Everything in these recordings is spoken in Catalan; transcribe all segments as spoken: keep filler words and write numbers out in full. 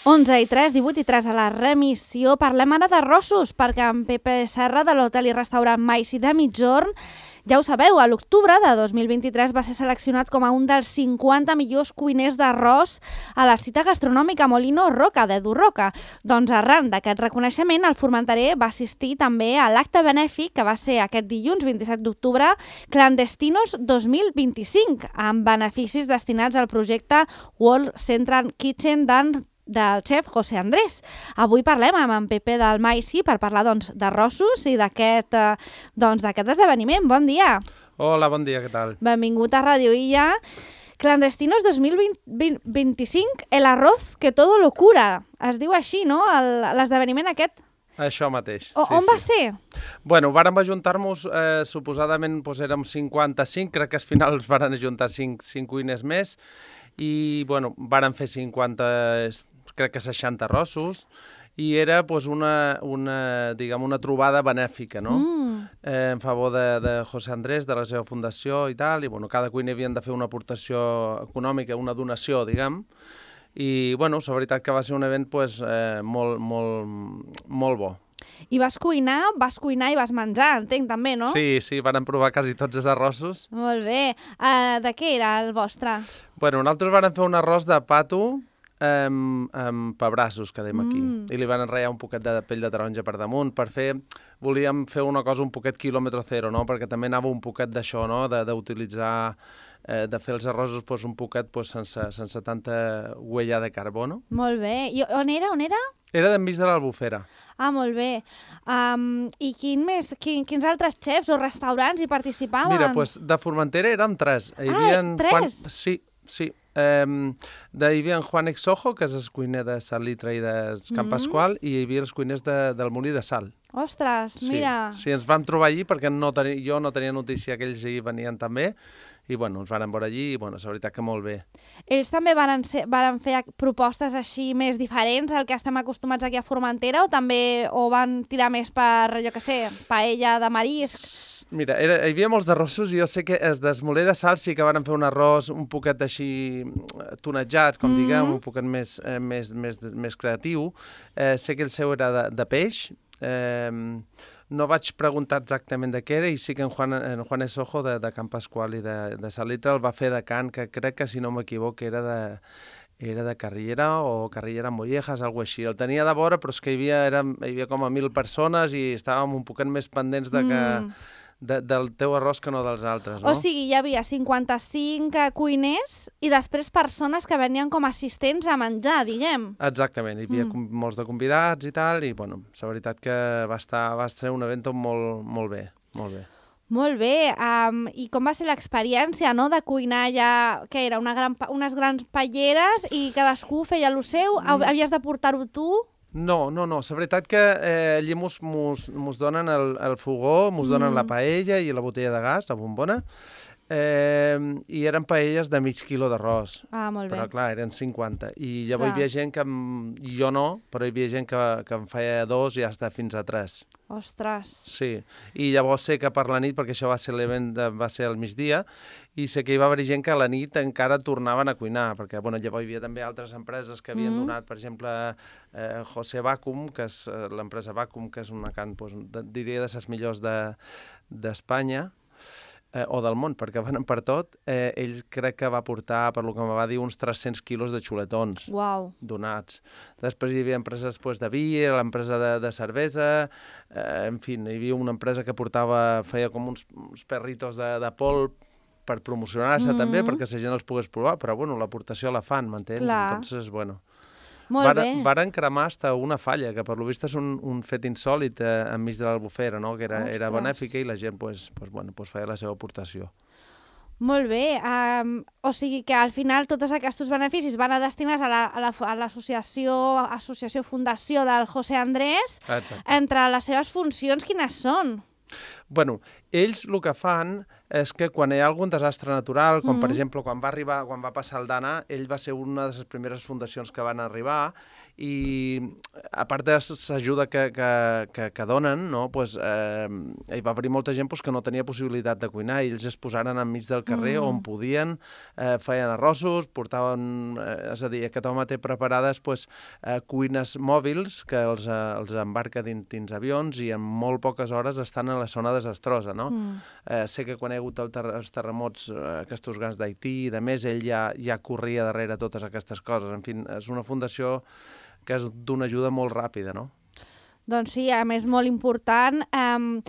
onze i tres, divuit i tres a la remissió. Parlem ara d'arrossos, perquè en Pepe Serra de l'hotel i restaurant Maici de Migjorn, ja ho sabeu, a l'octubre de dos mil vint-i-tres va ser seleccionat com a un dels cinquanta millors cuiners d'arròs a la cita gastronòmica Molino Roca, d'Edu Roca. Doncs arran d'aquest reconeixement, el formenterer va assistir també a l'acte benèfic que va ser aquest dilluns vint-i-set d'octubre, Clandestinos dos mil vint-i-cinc, amb beneficis destinats al projecte World Central Kitchen d'en del xef José Andrés. Avui parlem amb en Pepe del Maici per parlar doncs, d'arrossos i d'aquest eh, doncs, d'aquest esdeveniment. Bon dia. Hola, bon dia, què tal? Benvingut a Radio Illa. Clandestinos dos mil vint-i-cinc, el arroz que todo lo cura. Es diu així, no?, l'esdeveniment aquest. Això mateix. O, sí, on sí. va ser? Bueno, vàrem ajuntar-nos, eh, suposadament doncs, érem cinquanta-cinc, crec que al final es varen ajuntar cinc, cinc cuiners més, i bueno, vàrem fer cinquanta, crec que seixanta arrossos, i era pues, una, una, diguem, una trobada benèfica, no? Mm. Eh, en favor de, de José Andrés, de la seva fundació i tal, i bueno, cada cuiner havien de fer una aportació econòmica, una donació, diguem, i bueno, la veritat que va ser un event pues, eh, molt, molt, molt bo. I vas cuinar, vas cuinar i vas menjar, entenc també, no? Sí, sí, vàrem provar quasi tots els arrossos. Molt bé. Uh, de què era el vostre? Bueno, nosaltres vàrem fer un arròs de pato amb, amb pebrassos, que dèiem aquí, Mm. i li van enratllar un poquet de pell de taronja per damunt, per fer, volíem fer una cosa un poquet quilòmetre zero, no? Perquè també anava un poquet d'això, no? De, d'utilitzar, eh, de fer els arrossos pues, un poquet pues, sense, sense tanta huella de carbó, no? Molt bé. I on era, on era? Era d'enmig de l'Albufera. Ah, molt bé. Um, I quin més, quin, quins altres xefs o restaurants hi participaven? Mira, pues, de Formentera érem tres. Hi Ah, havia tres? Juan... Sí, sí. Um, de, hi havia en Juan Exojo, que és el cuiner de Salitre i de Camp Mm. Pasqual, i hi havia els cuiners de, del Molí de Sal. Ostres, Sí, mira. sí, ens vam trobar allí perquè no teni, jo no tenia notícia que ells hi venien també, i bueno, ens van veure allí i bueno, la veritat que molt bé. Ells també van, ser, van fer propostes així més diferents al que estem acostumats aquí a Formentera, o també o van tirar més per, jo què sé, paella de mariscs? Mira, era, hi havia molts d'arrossos i jo sé que els del Molí de Sal sí que van fer un arròs un poquet així tonejat, com Mm. diguem, un poquet més, eh, més, més, més creatiu. Eh, sé que el seu era de, de peix. Eh, no vaig preguntar exactament de què era i sí que en Juan, en Juan Esojo de, de Camp Pasqual i de, de Salitre el va fer de Can, que crec que si no m'equivoco era de, era de Carrillera o Carrillera Mollejas, alguna així. El tenia de vora, però és que hi havia, era, hi havia com a mil persones i estàvem un poquet més pendents de que, Mm. de, del teu arròs que no dels altres, no? O sigui, hi havia cinquanta-cinc cuiners i després persones que venien com a assistents a menjar, diguem. Exactament, hi havia Mm. mm. molts de convidats i tal, i bueno, la veritat que va estar, va ser un event molt, molt bé, molt bé. Molt bé. Um, I com va ser l'experiència, no?, de cuinar ja, què era, una gran, pa- unes grans paelleres i cadascú feia el seu? Mm. Havies de portar-ho tu? No, no, no, la veritat que eh, allí mos, mos, mos donen el, el fogó, mos donen Mm. la paella i la botella de gas, la bombona, eh, i eren paelles de mig quilo d'arròs. Ah, molt bé. Però clar, eren cinquanta. I llavors Clar. hi havia gent que, em- jo no, però hi havia gent que, que en feia dos i hasta fins a tres. Ostres. Sí, i llavors sé que per la nit, perquè això va ser l'event, de, va ser al migdia, i sé que hi va haver gent que a la nit encara tornaven a cuinar, perquè bueno, llavors hi havia també altres empreses que havien Mm. donat, per exemple, eh, José Vacum, que és eh, l'empresa Vacum, que és una can, doncs, de, diria, de les millors de- d'Espanya, eh, o del món, perquè van per tot, eh, ell crec que va portar, per lo que em va dir, uns tres-cents quilos de xuletons Uau. donats. Després hi havia empreses pues, de vi, l'empresa de, de cervesa, eh, en fi, hi havia una empresa que portava, feia com uns, uns perritos de, de polp per promocionar-se Mm. també, perquè la gent els pogués provar, però bueno, l'aportació la fan, m'entens? Clar. Entonces, bueno, Molt varen, bé. varen cremar hasta una falla, que per lo vist és un, un fet insòlit eh, enmig de l'Albufera, no? Que era, era Ostres. benèfica i la gent pues, pues, bueno, pues, feia la seva aportació. Molt bé. Um, o sigui que al final tots aquests beneficis van a destinats a la- a la- a l'associació, associació fundació del José Andrés. Exacte. Entre les seves funcions, quines són? Bueno, ells el que fan és que quan hi ha algun desastre natural, com mm-hmm. per exemple quan va arribar, quan va passar el Dana, ell va ser una de les primeres fundacions que van arribar i a part de l'ajuda que, que, que, que donen, no, pues, eh, hi va haver molta gent pues, que no tenia possibilitat de cuinar i ells es posaren enmig del carrer mm. on podien, eh, feien arrossos, portaven, eh, és a dir, aquest home té preparades pues, eh, cuines mòbils que els, eh, els embarca dins, dins avions i en molt poques hores estan en la zona desastrosa, no? Mm. Eh, sé que quan hi ha hagut el ter els terremots, eh, aquests grans d'Haití i de més, ell ja, ja corria darrere totes aquestes coses. En fi, és una fundació que és d'una ajuda molt ràpida, no? Doncs sí, a més, molt important. Um,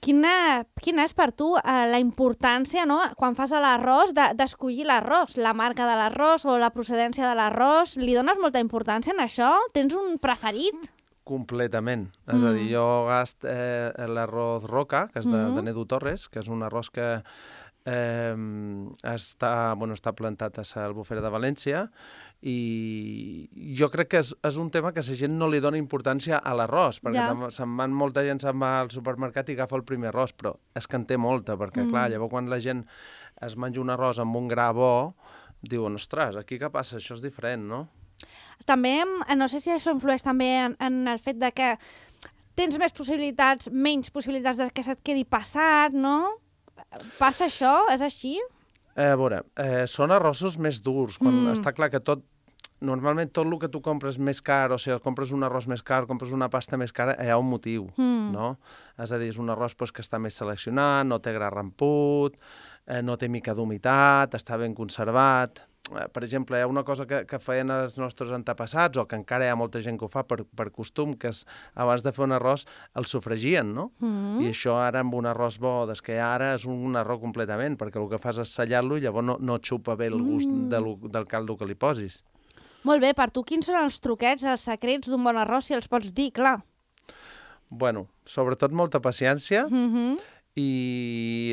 quina, quina és per tu uh, la importància, no?, quan fas l'arròs, d'escollir l'arròs, la marca de l'arròs o la procedència de l'arròs? Li dones molta importància en això? Tens un preferit? Completament. Mm. És a dir, jo gast eh, l'arròs Roca, que és de, mm. de Nedu Torres, que és un arròs que eh, està, bueno, està plantat a l'Albufera de València, i jo crec que és, és un tema que la gent no li dona importància a l'arròs, perquè ja. se'n van, molta gent se'n va al supermercat i agafa el primer arròs, però és que en té molta, perquè mm. clar, llavors quan la gent es menja un arròs amb un gra bo, diuen, ostres, aquí què passa? Això és diferent, no? També, no sé si això influeix també en, en el fet de que tens més possibilitats, menys possibilitats de que se't quedi passat, no? Passa això? És així? Eh, a veure, eh, són arrossos més durs, quan mm. està clar que tot, normalment tot el que tu compres més car, o sigui, compres un arròs més car, compres una pasta més cara, hi ha un motiu, mm. no? És a dir, és un arròs pues, que està més seleccionat, no té gra ramput, eh, no té mica d'humitat, està ben conservat. Eh, per exemple, hi ha una cosa que, que feien els nostres antepassats, o que encara hi ha molta gent que ho fa per, per costum, que és, abans de fer un arròs, el sofregien, no? Mm. I això ara, amb un arròs bo, des que hi ha ara, és un arròs completament, perquè el que fas és sellar-lo i llavors no, no xupa bé el gust mm. de lo, del caldo que li posis. Molt bé, per tu, quins són els truquets, els secrets d'un bon arròs, si els pots dir, clar? Bueno, sobretot molta paciència, mm-hmm. i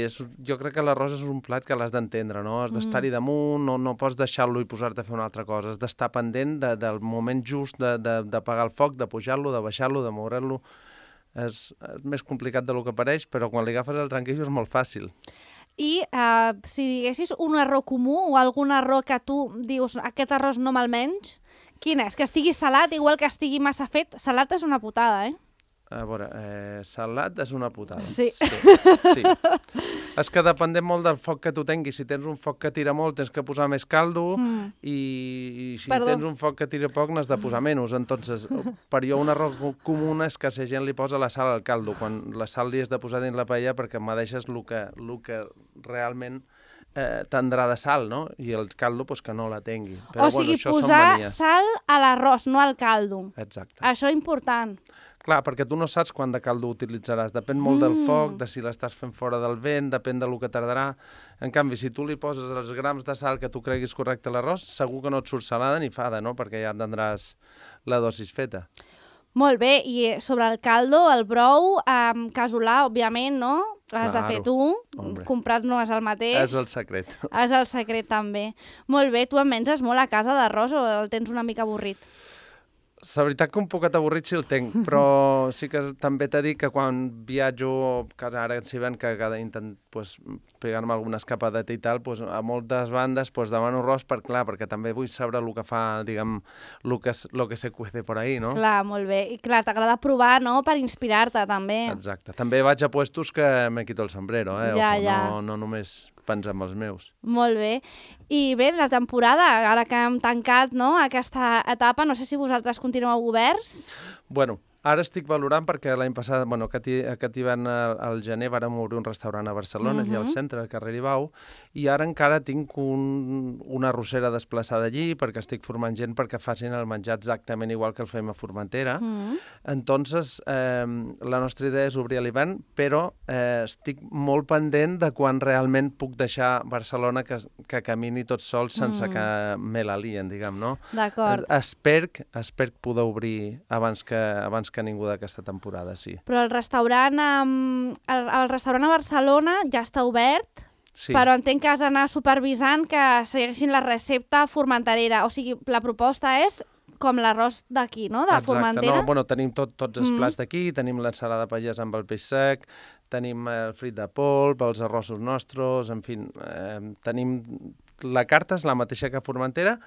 és, jo crec que l'arròs és un plat que l'has d'entendre, no? Has d'estar-hi damunt, no, no pots deixar-lo i posar-te a fer una altra cosa, has d'estar pendent de, del moment just de, de, d'apagar el foc, de pujar-lo, de baixar-lo, de moure-lo. És, és més complicat del que pareix, però quan li agafes el tranquillo és molt fàcil. I uh, si diguessis un error comú o algun error que tu dius aquest arròs no me'l menys, quin és? Que estigui salat, igual que estigui massa fet. Salat és una putada, eh? A veure, eh, salat és una putada. Sí. Sí. sí. És que depèn molt del foc que tu tinguis. Si tens un foc que tira molt, tens que posar més caldo, mm. i, i si Perdó. tens un foc que tira poc, n'has de posar menys. Entonces, per jo un error comú és que la gent li posa la sal al caldo, quan la sal li has de posar dins la paella perquè me deixes el que, el que realment eh, tindrà de sal, no? I el caldo, pues, que no la tingui. Però, o sigui, bueno, posar sal a l'arròs, no al caldo. Exacte. Això és important. Clar, perquè tu no saps quant de caldo utilitzaràs. Depèn molt mm. del foc, de si l'estàs fent fora del vent, depèn del que tardarà. En canvi, si tu li poses els grams de sal que tu creguis correcte a l'arròs, segur que no et surt salada ni fada, no? Perquè ja tindràs la dosis feta. Molt bé, i sobre el caldo, el brou, um, casolà, òbviament, no? L'has claro, de fer tu, hombre. Comprat no és el mateix. És el secret. És el secret, també. Molt bé, tu en menges molt a casa d'arròs o el tens una mica avorrit? La veritat que un poquet avorrit sí el tinc, però sí que també t'he dit que quan viatjo, que ara si ven que cada intent pues, pegar-me alguna escapadeta i tal, pues, a moltes bandes pues, demano arròs per, clar, perquè també vull saber el que fa, diguem, el que, lo que se cuece por ahí, no? Clar, molt bé. I clar, t'agrada provar, no?, per inspirar-te, també. Exacte. També vaig a puestos que me quito el sombrero, eh? Ja, Ojo, ja. No, no només pensar amb els meus. Molt bé. I bé, la temporada, ara que hem tancat, no?, aquesta etapa, no sé si vosaltres continueu oberts? Bueno, ara estic valorant perquè l'any passat, bueno, aquest, aquest hivern al, al gener vàrem obrir un restaurant a Barcelona, uh-huh. allà al centre, al carrer Ibau, i ara encara tinc un, una arrossera desplaçada allí perquè estic formant gent perquè facin el menjar exactament igual que el fem a Formentera. Uh-huh. Entonces, eh, la nostra idea és obrir a l'hivern, però eh, estic molt pendent de quan realment puc deixar Barcelona que, que camini tot sol sense uh-huh. que me la lien, diguem, no? D'acord. Espero, espero poder obrir abans que, abans que ningú d'aquesta temporada, sí. Però el restaurant, um, el, el restaurant a Barcelona ja està obert, sí. Però entenc que has d'anar supervisant que segueixin la recepta formenterera. O sigui, la proposta és com l'arròs d'aquí, no?, de Exacte, Formentera. no, bueno, tenim tot, tots els Mm. plats d'aquí, tenim l'ensalada pagès amb el peix sec, tenim el frit de polp, els arrossos nostres, en fi, eh, tenim... La carta és la mateixa que a Formentera,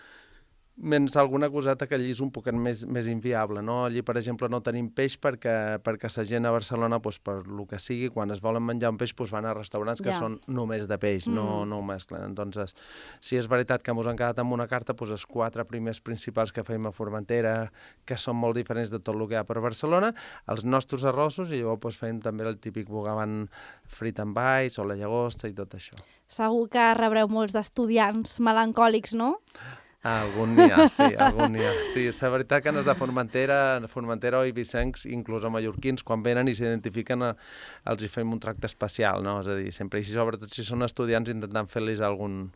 menys alguna coseta que allí és un poquet més, més inviable, no? Allí, per exemple, no tenim peix perquè, perquè la gent a Barcelona, doncs, per lo que sigui, quan es volen menjar un peix, doncs van a restaurants que Ja. són només de peix, Mm. no, no ho mesclen. Entonces, si és veritat que ens han quedat amb una carta, doncs els quatre primers principals que fem a Formentera, que són molt diferents de tot el que hi ha per Barcelona, els nostres arrossos, i llavors doncs, fem també el típic bogavant frit amb alls o la llagosta i tot això. Segur que rebreu molts d'estudiants melancòlics, no? Algun n'hi ha, sí, algun n'hi ha. Sí, és la veritat que els de Formentera, Formentera o Eivissencs, inclús a mallorquins, quan venen i s'identifiquen, eh, els hi fem un tracte especial, no? És a dir, sempre, i sobretot si són estudiants, intentant fer-los algun,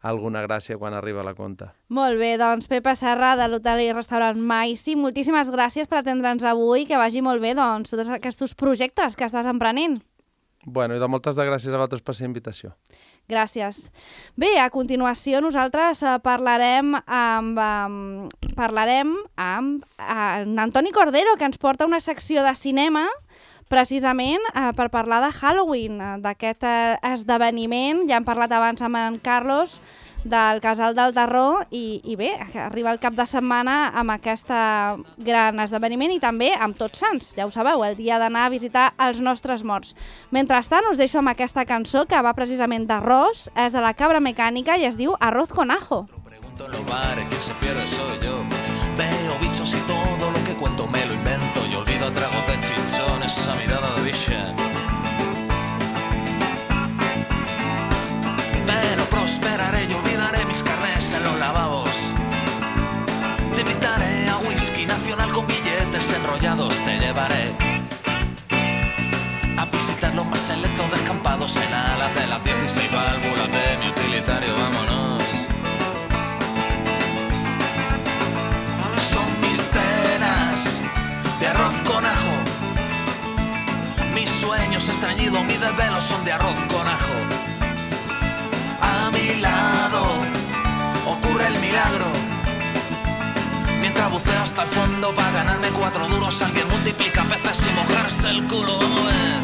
alguna gràcia quan arriba la conta. Molt bé, doncs Pepa Serra, de l'hotel i restaurant Maici, moltíssimes gràcies per atendre'ns avui, que vagi molt bé, doncs, tots aquests projectes que estàs emprenent. Bueno, i de moltes de gràcies a vosaltres per la invitació. Gràcies. Bé, a continuació nosaltres eh, parlarem amb, um, parlarem amb eh, en Antoni Cordero, que ens porta una secció de cinema precisament eh, per parlar de Halloween, eh, d'aquest eh, esdeveniment. Ja hem parlat abans amb en Carlos del Casal del Terror i, i bé, arriba el cap de setmana amb aquest gran esdeveniment i també amb Tots Sants, ja ho sabeu, el dia d'anar a visitar els nostres morts. Mentrestant, us deixo amb aquesta cançó que va precisament d'arròs, és de la Cabra Mecànica i es diu Arroz con ajo. Pregunto en los bares, quien se pierde soy yo. Veo bichos y todo lo que cuento me lo invento y olvido tragos de chinchón, esa mirada de bicha. Pero prosperaré y olvidaré mis carnés en los lavabos. Te invitaré a whisky nacional con billetes enrollados. Te llevaré a visitar los más selectos descampados en alas de las dieciséis válvulas de mi utilitario. Vámonos. Son mis penas de arroz con ajo. Mis sueños estreñidos, mis desvelos son de arroz con ajo. A mi lado ocurre el milagro. Mientras buceo hasta el fondo para ganarme cuatro duros, alguien multiplica peces sin mojarse el culo. Vamos a ver.